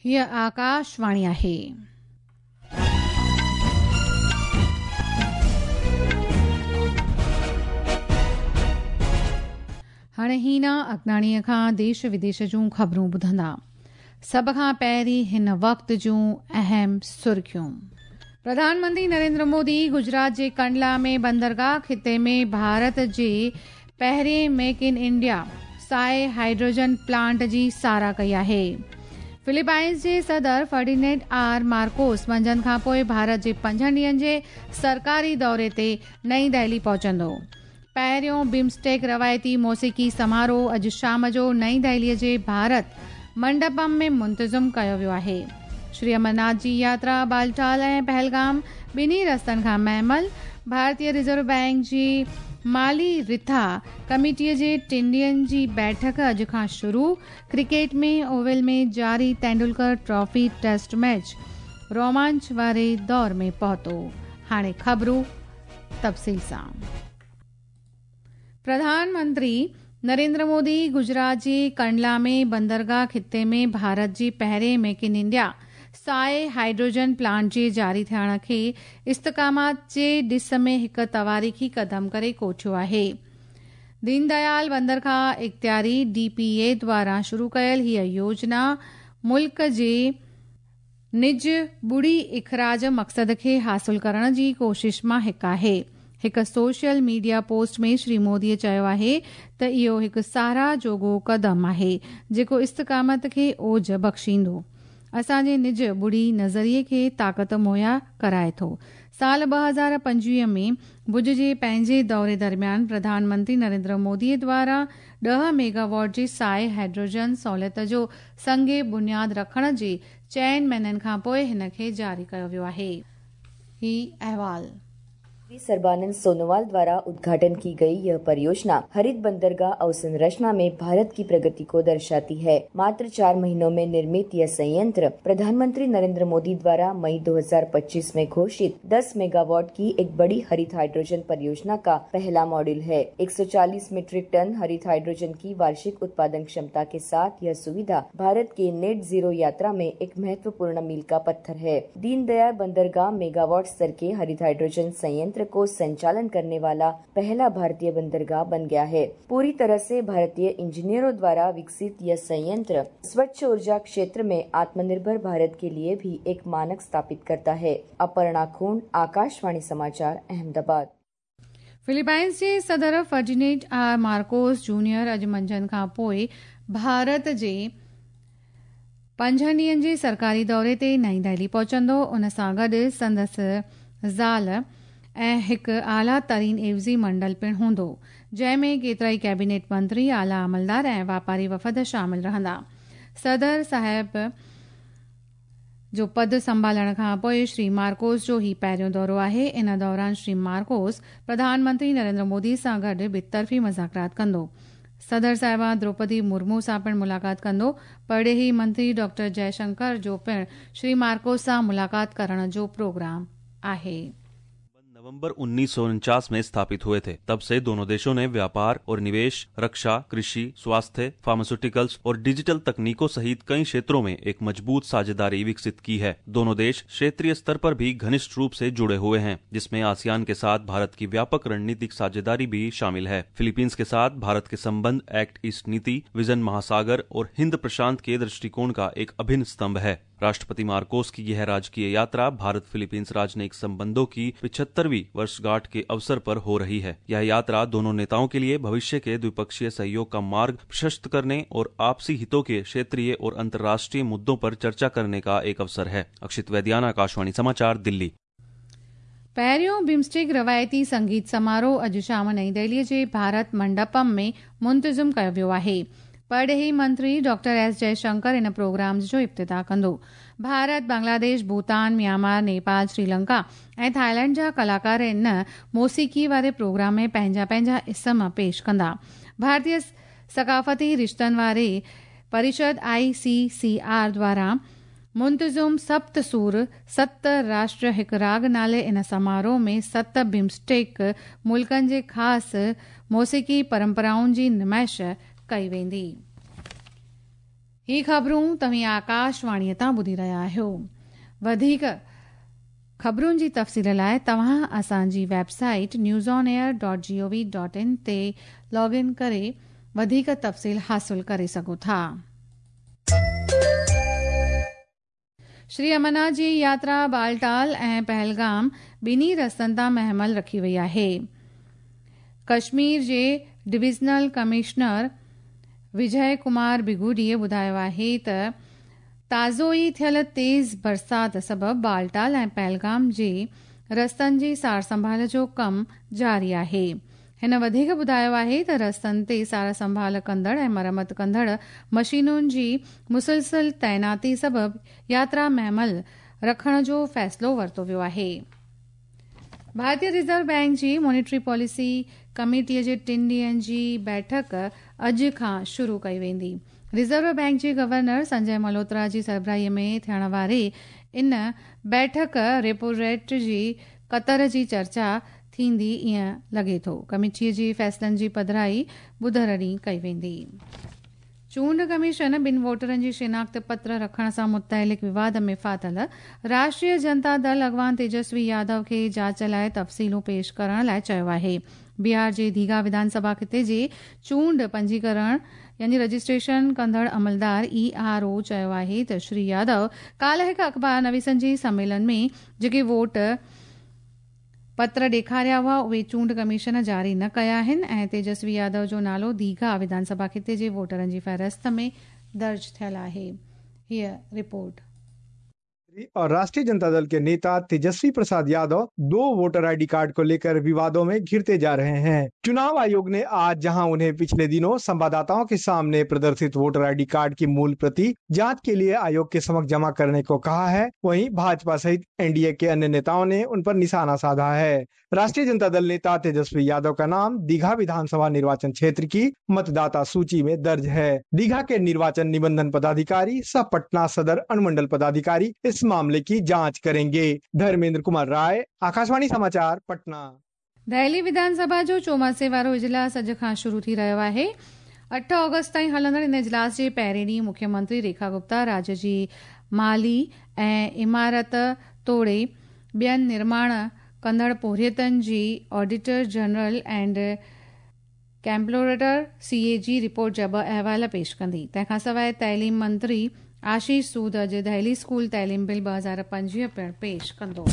هيء آڪاشواڻي آهي. هاڻي هينا اگناڻيء کان ديش وديش جون خبرون ٻڌندا. سڀ کان پهرين هن وقت جون اهم سرخيون. پرڌان منتري نريندر مودي گجرات جي ڪنڊلا ۾ بندرگاهه خطي ۾ ڀارت جي پهرين ميڪ ان انڊيا سائي هائيڊروجن پلانٽ جي ساراهه ڪئي آهي. فلپائنز جي صدر فرڊينينڊ آر مارڪوس منجهند کانپوء ڀارت جي پنجن ڏينهن جي سرڪاري دوري تي نئين دهلي پهچندو. پهريون بمسٽيڪ روايتي موسيقي سماروهه اڄ شام جو نئين دهلي جي ڀارت منڊپم ۾ منتظم ڪيو ويو آهي. شري امرناٿ جي ياترا بالٽال ۽ پهلگام ٻنهي رستن کان مهمل، ڀارتي رزرو بئنڪ جي مالي رٿا ڪميٽي جي ٽن ڏينهن جي بيٺڪ اڄ کان شروع، ڪرڪيٽ ۾ اوول ۾ جاري تينڊولڪر ٽرافي ٽيسٽ ميچ رومانچ واري دور ۾ پهتو. هاڻي خبرون تفصيل سان. پرڌان منتري نريندر مودي گجرات جي ڪنڊلا ۾ بندرگاهه خطي ۾ ڀارت جي پهرين ميڪ ان انڊيا سائي هائيڊروجن پلانٽ جي جاري ٿيڻ کي استقامت جي ڏس ۾ هڪ تواريخي قدم ڪري ڪوٺيو آهي. دين ديال بندرگاهه اختياري، ڊي پي اي، دواران شروع ڪيل هيء يوجنا ملڪ جي نج ٻڙي اخراج مقصد کي حاصل ڪرڻ جي ڪوشش مان هڪ آهي. هڪ social media post ۾ Shri Modi چيو آهي ته اهو هڪ ساراهه جوڳو قدم آهي جيڪو استقامت کي اوج بخشيندو اسان جي نج ٻڙي نظريي کي طاقت مهيا ڪرائي ٿو. سال 2025 ۾ ڀڄ جي پنهنجي دوري درميان پرڌان منتري نريندر مودي دواران ڏهه ميگاواٽ جي سائي هائيڊروجن سهولت جو سنگ بنياد رکڻ جي چئن مهينن کانپوء هن کي جاري ڪيو ويو آهي. هي احوال. श्री सर्बानंद सोनोवाल द्वारा उद्घाटन की गई यह परियोजना हरित बंदरगाह अवसंरचना में भारत की प्रगति को दर्शाती है। मात्र 4 महीनों में निर्मित यह संयंत्र प्रधानमंत्री नरेंद्र मोदी द्वारा मई 2025 में घोषित 10 मेगावाट की एक बड़ी हरित हाइड्रोजन परियोजना का पहला मॉड्यूल है। 140 मीट्रिक टन हरित हाइड्रोजन की वार्षिक उत्पादन क्षमता के साथ यह सुविधा भारत के नेट जीरो यात्रा में एक महत्वपूर्ण मील का पत्थर है। दीनदयाल बंदरगाह मेगावाट स्तर के हरित हाइड्रोजन संयंत्र को संचालन करने वाला पहला भारतीय बंदरगाह बन गया है। पूरी तरह से भारतीय इंजीनियरों द्वारा विकसित यह संयंत्र स्वच्छ ऊर्जा क्षेत्र में आत्मनिर्भर भारत के लिए भी एक मानक स्थापित करता है। अपर्णा खूंड, आकाशवाणी समाचार, अहमदाबाद। फिलिपाइंस जे सदर फर्डिनेंड आर मार्कोस जूनियर अॼु मंझंदि खां पोइ ڀارت جي پنجن ڏينهن جي سرڪاري دوري تي نئين دهلي پهچندو. ان سان گڏ سندس زال ۽ هڪ اعليٰ ترين عيوضي منڊل پڻ هوندو، جنهن ۾ ڪيترائي ڪيبينيٽ منتري، اعليٰ عملدار ۽ واپاري وفد شامل رهندا. صدر صاحب جو پد سنڀالڻ کان پوء شري مارڪوس جو هي پهريون دورو آهي. ان دوران شري مارڪوس پرڌان منتري نريندر مودي سان گڏ ٻطرفي مذاڪرات ڪندو. صدر صاحبه دروپدي مرمو سان پڻ ملاقات ڪندو. پرڏيهي منتري ڊاڪٽر جئه شنڪر جو پڻ شري مارڪوس سان ملاقات ڪرڻ جو پروگرام آهي. नवंबर 1949 में स्थापित हुए थे। तब से दोनों देशों ने व्यापार और निवेश, रक्षा, कृषि, स्वास्थ्य, फार्मास्यूटिकल्स और डिजिटल तकनीकों सहित कई क्षेत्रों में एक मजबूत साझेदारी विकसित की है। दोनों देश क्षेत्रीय स्तर पर भी घनिष्ठ रूप से जुड़े हुए हैं, जिसमें आसियान के साथ भारत की व्यापक रणनीतिक साझेदारी भी शामिल है। फिलीपींस के साथ भारत के संबंध एक्ट ईस्ट नीति, विजन महासागर और हिंद प्रशांत के दृष्टिकोण का एक अभिन्न स्तंभ है। राष्ट्रपति मार्कोस की यह राजकीय यात्रा भारत फिलीपींस राजनयिक संबंधों की 75वीं वर्षगांठ के अवसर पर हो रही है। यह यात्रा दोनों नेताओं के लिए भविष्य के द्विपक्षीय सहयोग का मार्ग प्रशस्त करने और आपसी हितों के क्षेत्रीय और अंतर्राष्ट्रीय मुद्दों पर चर्चा करने का एक अवसर है। अक्षित वैद्याना, आकाशवाणी समाचार, दिल्ली। पहिरियों बिम्स्टेक रवायती संगीत समारोह अॼु शाम नई दिल्लीअ जे भारत मंडपम में मुंतज़िम कयो वियो आहे। परॾेही मंत्री डॉक्टर एस जयशंकर इन प्रोग्राम जो इब्तिदा कंदो। भारत, बांग्लादेश, भूटान, म्यांमार, नेपाल, श्रीलंका ऐं थाईलैंड जा कलाकार इन मौसीक़ी वारे प्रोग्राम में पंहिंजा पंहिंजा इसम पेश कंदा। भारतीय सकाफ़ती रिश्तनि वारे परिषद आईसीसीआर द्वारा मुंतज़िम सप्त सूर सत राष्ट्र हिकु राग नाले इन समारोह में 7 बिम्स्टेक मुल्कनि जे ख़ासि मौसीक़ी परंपराउनि जी नुमाइश कई वेंदी। ही ख़बरूं तव्हीं आकाशवाणीअ तां ॿुधी रहिया आहियो। वधीक ख़बरुनि जी तफ़सील लाइ तव्हां असांजी website newsonair.gov.in ते लॉग इन करे वधीक तफ़सील हासिल करे सघो था। श्री अमरनाथ जी यात्रा बालटाल ऐं पहलगाम ॿिन्ही रस्तनि तां महमल रखी वई आहे। कश्मीर जे डिविजनल कमिश्नर विजय कुमार बिगुडीअ ॿुधायो आहे त ताज़ो ई थियल तेज़ बरसात सबबु बालटाल ऐं पहलगाम जे रस्तनि जी सार संभाल जो कमु जारी आहे। हिन वधीक ॿुधायो आहे त रस्तनि ते सार संभाल कंदड़ ऐं मरमत कंदड़ मशीनुनि जी मुसलसल तैनाती सबबु यात्रा महमल रखण जो फ़ैसिलो वरितो वियो आहे। भारतीय रिज़र्व बैंक जी मॉनिटरी पॉलिसी कमेटीअ जे टिनि ॾींहंनि जी बैठक अॼु खां शुरू कई वेंदी। रिज़र्व बैंक जे गवर्नर संजय मल्होत्रा जी सरबराहीअ में थियण वारी इन बैठक रेपो रेट जी कतर जी चर्चा थींदी ईअं लॻे थो। कमेटीअ जी फ़ैसिलनि जी पधराई ॿुधर ॾींहुं कई वेंदी। चूंड कमीशन ॿिनि वोटरनि जी शिनाख़्त पत्र रखण सां मुतइलिक़ विवाद में फाथल राष्ट्रीय जनता दल अॻवान तेजस्वी यादव खे जांच लाइ तफ़सीलूं पेश करण लाइ चयो आहे। बिहार जे दीघा विधानसभा ख़िते जे चूंड पंजीकरण यानी रजिस्ट्रेशन कंदड़ अमलदार ERO चयो आहे त श्री यादव काल्ह हिकु अख़बार नवीसनि जे सम्मेलन में जेके वोट पत्र ॾेखारिया हुआ उहे चूंड कमीशन जारी न कया आहिनि ऐं तेजस्वी यादव जो नालो दीघा विधानसभा ख़िते जे वोटरनि जी फ़हरिस्त में दर्ज थियल आहे। हीअ रिपोर्ट। और राष्ट्रीय जनता दल के नेता Tejashwi Prasad Yadav 2 voter ID card को लेकर विवादों में घिरते जा रहे हैं। चुनाव आयोग ने आज जहां उन्हें पिछले दिनों संवाददाताओं के सामने प्रदर्शित वोटर आईडी कार्ड की मूल प्रति जांच के लिए आयोग के समक्ष जमा करने को कहा है, वहीं भाजपा सहित एनडीए के अन्य नेताओं ने उन पर निशाना साधा है। राष्ट्रीय जनता दल नेता तेजस्वी यादव का नाम दीघा विधानसभा निर्वाचन क्षेत्र की मतदाता सूची में दर्ज है। दीघा के निर्वाचन निबंधन पदाधिकारी सह पटना सदर अनुमंडल पदाधिकारी इस मामले की जांच करेंगे। धर्मेंद्र कुमार राय, आकाशवाणी समाचार, पटना। दिल्ली विधानसभा जो चौमासे वारो इजलास अॼु खां शुरू थी रहियो आहे। 8 अगस्त ताईं हलंदड़ इन इजलास जे पहिरें ॾींहुं मुख्यमंत्री रेखा गुप्ता राज्य जी माली ऐं इमारत तोड़े ॿियनि निर्माण कंदड़ पोरियतनि जी auditor general and comptroller CAG report जा ॿ अहवाल पेश कंदी। तंहिंखां सवाइ तइलीम मंत्री आशीष सूद अॼु दिल्ली स्कूल तइलीम बिल 2025 पिणु पेश कंदो।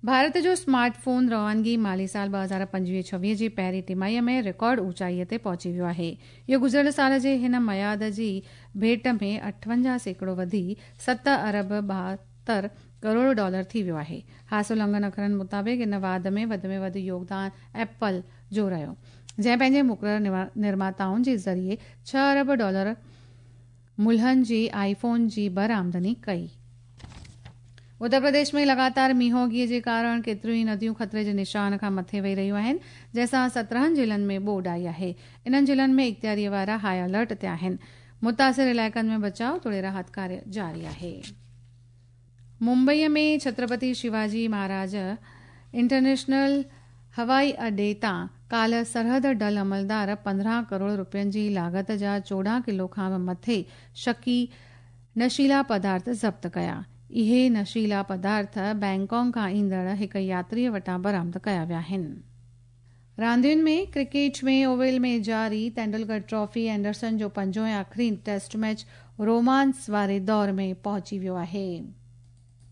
भारत जो स्मार्टफोन रवानगी माली साल 2025-26 जी पहिरीं तिमाहीअ में रिकॉर्ड ऊंचाईअ ते पहुची वियो आहे। इहो गुज़िरियल साल जे हिन मयाद जी भेंट में 58% वधी 7 अरब 72 करोड़ डॉलर थी वियो आहे। हासिल अंगनि अखरनि मुताबिक़ इन वाध में वधि योगदान एप्पल जो रहियो, जंहिं पंहिंजे मुक़ररु निर्माताउनि जे ज़रिए 6 अरब डॉलर मुल्हनि जी आईफोन जी बरामदनी कई। उत्तर प्रदेश में लगातार मींहोगीअ जे कारण केतिरियूं ई नदियूं ख़तरे जे निशान खां मथे वही रहियूं आहिनि, जंहिंसां 17 ज़िलनि में ॿोॾ आई आहे। इन्हनि ज़िलनि में इख़्तियारीअ वारा हाई अलर्ट ते आहिनि। मुतासिर इलाइक़नि में बचाव तोड़े राहत कार्य जारी आहे। मुंबईअ में छत्रपति शिवाजी महाराज इंटरनेशनल हवाई अॾे तां काल्ह सरहद डल अमलदार 15 करोड़ रुपयनि जी लागत जा 14 किलो खां बि मथे शकी नशीला पदार्थ ज़ब्त कया। इहे नशीला पदार्थ बैंकॉक खां ईंदड़ हिकु यात्रीअ वटां बरामद कया विया आहिनि। रांदियुनि में क्रिकेट में ओवल में जारी तेंदुलकर ट्रॉफी एंडरसन जो पंजों ऐं आख़िरी टेस्ट मैच रोमांस वारे दौर में पहुची वियो आहे।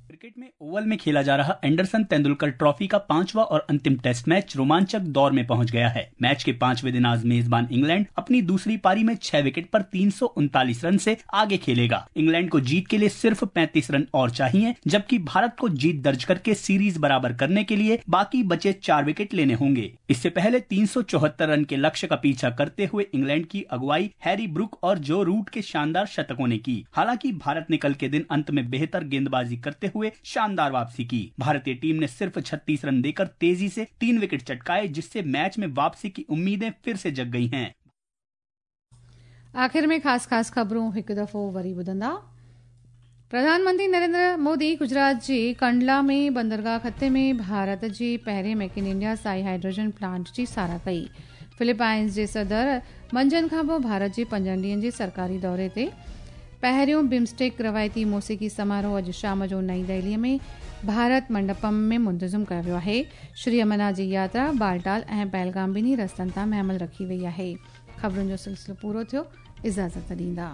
क्रिकेट में ओवल में खेला जा रहा एंडरसन तेंदुलकर ट्रॉफी का 5वां और अंतिम टेस्ट मैच रोमांचक दौर में पहुंच गया है। मैच के 5वें दिन आज मेजबान इंग्लैंड अपनी दूसरी पारी में 6 विकेट पर 339 रन से आगे खेलेगा। इंग्लैंड को जीत के लिए सिर्फ 35 रन और चाहिए, जबकि भारत को जीत दर्ज करके सीरीज बराबर करने के लिए बाकी बचे 4 विकेट लेने होंगे। इससे पहले 374 रन के लक्ष्य का पीछा करते हुए इंग्लैंड की अगुवाई हैरी ब्रुक और जो रूट के शानदार शतकों ने की। हालांकि भारत ने कल के दिन अंत में बेहतर गेंदबाजी करते हुए शानदार वापसी की। भारतीय टीम ने सिर्फ 36 रन देकर तेजी से 3 विकेट चटकाए, जिससे मैच में वापसी की उम्मीदें फिर से जग गई हैं। आखिर में खास खास खबरूं हिकु दफ़ो वरी ॿुधंदा। प्रधानमंत्री नरेंद्र मोदी गुजरात जे कंडला में बंदरगाह ख़िते में भारत जे पहिरें मेक इन इंडिया साई हाइड्रोजन प्लांट जी साराह कई। फिलिपाइंस जे सदर मंझंदि खां पोइ भारत जे 5 ॾींहंनि जे सरकारी दौरे ते पहिरियों बिम्स्टेक रवायती मौसीक़ी समारोह अॼु शाम जो नई दिल्लीअ में भारत मंडपम में मुंतज़िम कयो वियो आहे। श्री अमरनाथ जी यात्रा बालटाल ऐं पहलगाम ॿिन्ही रस्तनि तां महिमल रखी वई आहे। ख़बरुनि जो सिलसिलो पूरो थियो, इजाज़त ॾींदा।